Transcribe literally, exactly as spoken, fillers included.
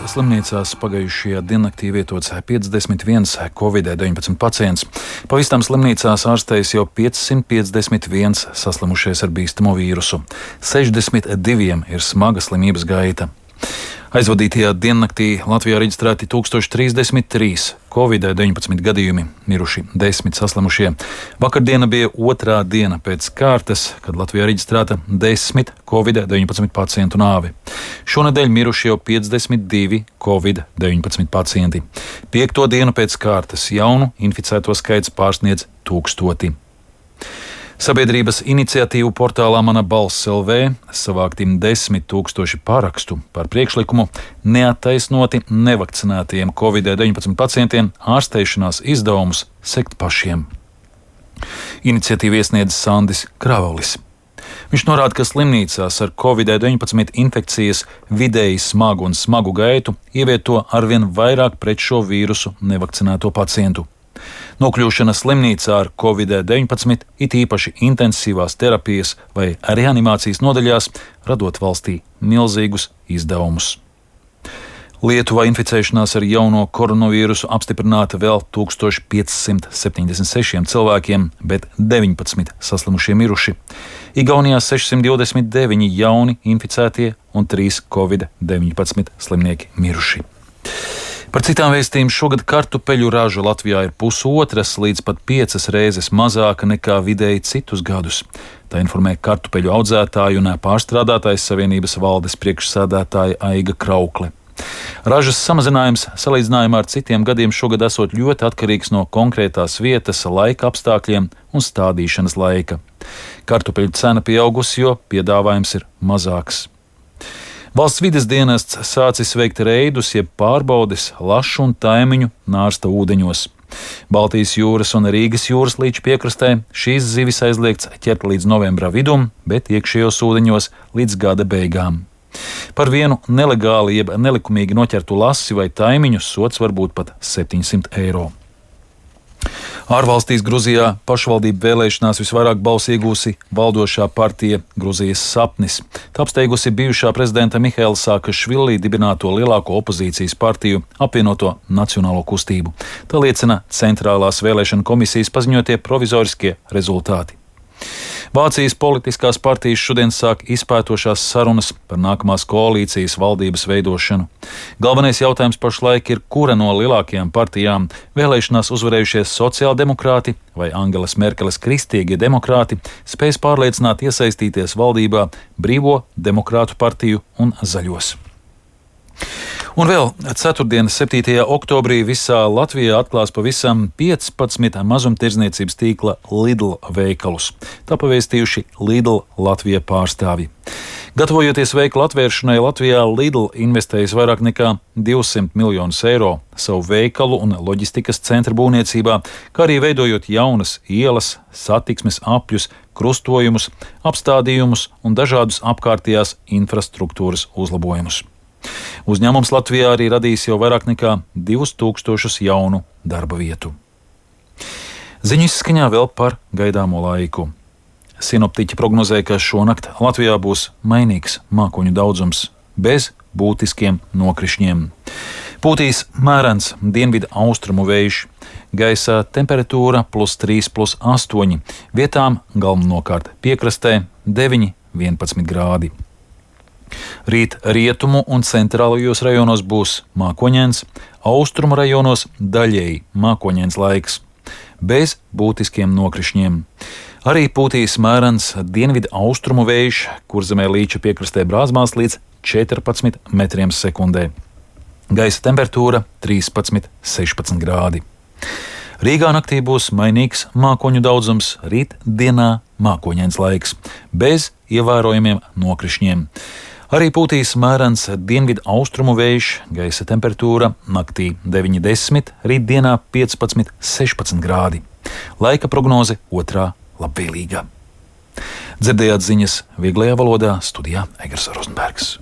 slimnīcās pagājušajā diennaktī vietots piecdesmit viens covid deviņpadsmit pacients. Pa visām slimnīcās ārstējas jau piecsimt piecdesmit viens saslimušies ar bīstamo vīrusu. sešdesmit diviem ir smaga slimības gaita. Aizvadītajā diennaktī Latvijā reģistrēti tūkstoš trīsdesmit trīs covid deviņpadsmit gadījumi, miruši desmit saslimušie. Vakardiena bija otrā diena pēc kārtas, kad Latvijā reģistrēta desmit covid deviņpadsmit pacientu nāve. Šonedēļ miruši jau piecdesmit divi covid deviņpadsmit pacienti. Piekto dienu pēc kārtas jaunu inficēto skaits pārsniedz tūkstoti. Sabiedrības iniciatīvu portālā Mana balss L V savākti desmit tūkstoši parakstu par priekšlikumu neattaisnoti nevakcinētajiem covid deviņpadsmit pacientiem ārstēšanās izdevumus sekt pašiem. Iniciatīvu iesniedz Sandis Kravalis. Viņš norāda, ka slimnīcās ar covid deviņpadsmit infekcijas vidēji smagu un smagu gaitu ievieto arvien vairāk pret šo vīrusu nevakcinēto pacientu. Nokļūšana slimnīcā ar covid deviņpadsmit, it īpaši intensīvās terapijas vai reanimācijas nodaļās, radot valstī milzīgus izdevumus. Lietuvā inficēšanās ar jauno koronavīrusu apstiprināta vēl tūkstoš piecsimt septiņdesmit sešiem cilvēkiem, bet deviņpadsmit saslimušie miruši. Igaunijā sešsimt divdesmit deviņi jauni inficētie un trīs covid deviņpadsmit slimnieki miruši. Par citām vēstījumiem šogad kartupeļu raža Latvijā ir pusotras līdz pat piecas reizes mazāka nekā vidēji citus gadus. Tā informē kartupeļu audzētāju un pārstrādātājas savienības valdes priekšsēdētāja Aiga Kraukle. Ražas samazinājums salīdzinājumā ar citiem gadiem šogad esot ļoti atkarīgs no konkrētās vietas, laika apstākļiem un stādīšanas laika. Kartupeļu cena pieaugusi, jo piedāvājums ir mazāks. Valsts vides dienests sācis veikt reidus, jeb pārbaudes lašu un taimiņu nārsta ūdeņos. Baltijas jūras un Rīgas jūras līča piekrastē šīs zivis aizliegts ķert līdz novembra vidum, bet iekšējos ūdeņos līdz gada beigām. Par vienu nelegāli jeb nelikumīgi noķertu lasi vai taimiņu sods var būt pat septiņsimt eiro. Ārvalstīs Gruzijā pašvaldību vēlēšanās visvairāk balsu iegūsi valdošā partija Gruzijas sapnis. Tā apsteigusi bijušā prezidenta Mihaila Saakašvili dibināto lielāko opozīcijas partiju apvienoto Nacionālo kustību. Tā liecina Centrālās vēlēšana komisijas paziņotie provizoriskie rezultāti. Vācijas politiskās partijas šodien sāk izpētošās sarunas par nākamās koalīcijas valdības veidošanu. Galvenais jautājums pašlaik ir, kura no lielākajām partijām vēlēšanās uzvarējušies sociāldemokrāti vai Angelas Merkeles kristīgie demokrāti spēs pārliecināt iesaistīties valdībā Brīvo demokrātu partiju un Zaļos. Un vēl ceturtdien, septītajā oktobrī visā Latvijā atklās pavisam piecpadsmit mazumtirdzniecības tīkla Lidl veikalus. Tā pavēstījuši Lidl Latvija pārstāvji. Gatavojoties veikalu atvēršanai Latvijā, Lidl investējis vairāk nekā divsimt miljonus eiro savu veikalu un loģistikas centra būvniecībā, kā arī veidojot jaunas ielas, satiksmes apļus, krustojumus, apstādījumus un dažādus apkārtējās infrastruktūras uzlabojumus. Uzņēmums Latvijā arī radīs jau vairāk nekā divus tūkstošus jaunu darba vietu. Ziņu izskaņā vēl par gaidāmo laiku. Sinoptiķi prognozē, ka šonakt Latvijā būs mainīgs mākoņu daudzums, bez būtiskiem nokrišņiem. Pūtīs mērens dienvidu austrumu vējš, gaisa temperatūra plus trīs, plus astoņi, vietām galvenokārt piekrastē deviņi, vienpadsmit grādi. Rīt rietumu un centrālajos rajonos būs mākoņains, austrumu rajonos daļēji mākoņains laiks, bez būtiskiem nokrišņiem. Arī pūtīs mērens dienvidu austrumu vējš, Kurzemē līča piekrastē brāzmās līdz četrpadsmit metriem sekundē. Gaisa temperatūra trīspadsmit, sešpadsmit grādi. Rīgā naktī būs mainīgs mākoņu daudzums, rīt dienā mākoņains laiks, bez ievērojamiem nokrišņiem. Arī pūtīs mērens dienvidu austrumu vējš, gaisa temperatūra naktī deviņi, desmit, rītdienā piecpadsmit, sešpadsmit grādi. Laika prognoze otrā labvēlīga. Dzirdējāt ziņas vieglajā valodā, studijā Egers Rozenbergs.